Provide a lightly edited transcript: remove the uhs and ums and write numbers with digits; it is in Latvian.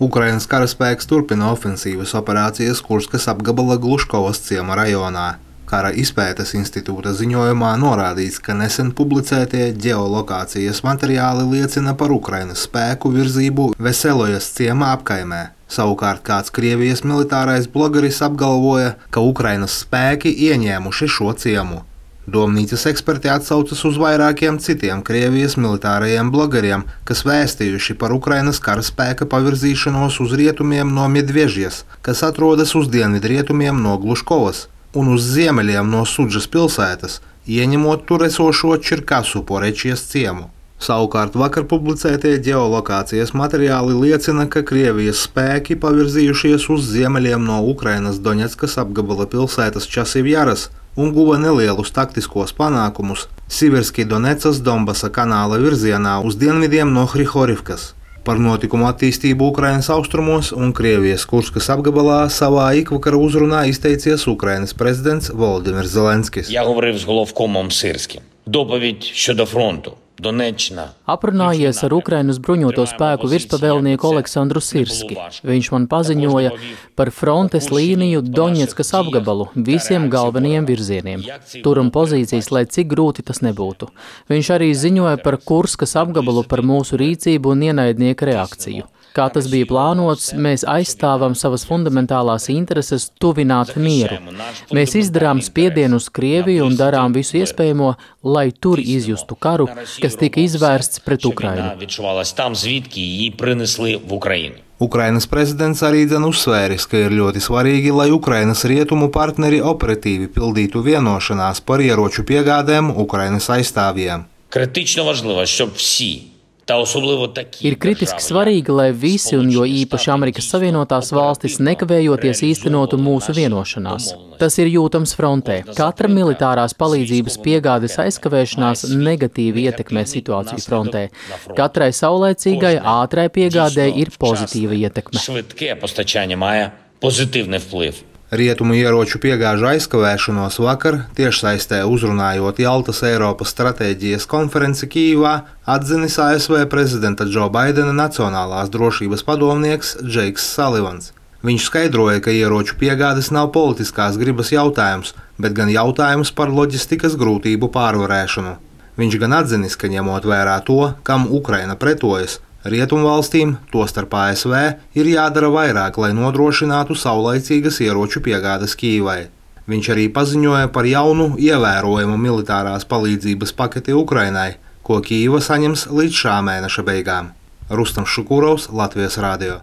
Ukrainas karaspēks turpina ofensīvas operācijas Kurskas apgabala Gluškovas ciema rajonā. Kara izpētes institūta ziņojumā norādīts, ka nesen publicētie ģeolokācijas materiāli liecina par Ukrainas spēku virzību Veselojas ciema apkaimē. Savukārt kāds Krievijas militārais blogeris apgalvoja, ka Ukrainas spēki ieņēmuši šo ciemu. Domnīcas eksperti atsaucas uz vairākiem citiem Krievijas militārajiem blogeriem, kas vēstījuši par Ukrainas karaspēka pavirzīšanos uz rietumiem no Medvežjas, kas atrodas uz dienvidrietumiem no Gluškovas, un uz ziemeļiem no Sudžas pilsētas, ieņemot tur esošo Čirkasu Porečijas ciemu. Savukārt vakar publicētie ģeolokācijas materiāli liecina, ka Krievijas spēki pavirzījušies uz ziemeļiem no Ukrainas Doņetskas apgabala pilsētas Časivjaras un guva nelielus taktiskos panākumus Siverski Donecas Donbasa kanāla virzienā uz dienvidiem no Hrihorivkas. Par notikumu attīstību Ukrainas austrumos un Krievijas Kurskas apgabalā savā ikvakara uzrunā izteicies Ukrainas prezidents Volodimirs Zelenskis. Я говорив з головкомом Сирським. Доповідь щодо фронту. Aprunājies ar Ukrainas bruņoto spēku virspavēlnieku Aleksandru Sirski. Viņš man paziņoja par frontes līniju Doņetskas apgabalu visiem galvenajiem virzieniem. Turam pozīcijas, lai cik grūti tas nebūtu. Viņš arī ziņoja par Kurskas apgabalu, par mūsu rīcību un ienaidnieka reakciju. Kā tas bija plānots, mēs aizstāvam savas fundamentālās intereses tuvināt mieru. Mēs izdarām spiedienu uz Krieviju un darām visu iespējamo, lai tur izjustu karu, kas tika izvērsts pret Ukrainu. Ukrainas prezidents arī uzsvēris, ka ir ļoti svarīgi, lai Ukrainas rietumu partneri operatīvi pildītu vienošanās par ieroču piegādēm Ukrainas aizstāvjiem. Критично важливо, щоб всі Ir kritiski svarīgi, lai visi, un jo īpaši Amerikas Savienotās valstis, nekavējoties īstenotu mūsu vienošanās. Tas ir jūtams frontē. Katra militārās palīdzības piegādes aizkavēšanās negatīvi ietekmē situāciju frontē. Katrai saulēcīgai, ātrai piegādei ir pozitīva ietekme. Rietumu ieroču piegāžu aizkavēšanos vakar, tiešsaistē uzrunājot Jaltas Eiropas stratēģijas konferenci Kijivā, atzinis ASV prezidenta Džo Baidena nacionālās drošības padomnieks Džeiks Salivans. Viņš skaidroja, ka ieroču piegādes nav politiskās gribas jautājums, bet gan jautājums par loģistikas grūtību pārvarēšanu. Viņš gan atzinis, ka ņemot vērā to, kam Ukraina pretojas, Rietumvalstīm, tostarp ASV, ir jādara vairāk, lai nodrošinātu saulaicīgas ieroču piegādes Kijivai. Viņš arī paziņoja par jaunu, ievērojamu militārās palīdzības paketi Ukrainai, ko Kijiva saņems līdz šā mēneša beigām. Rustam Šukurovs, Latvijas radio.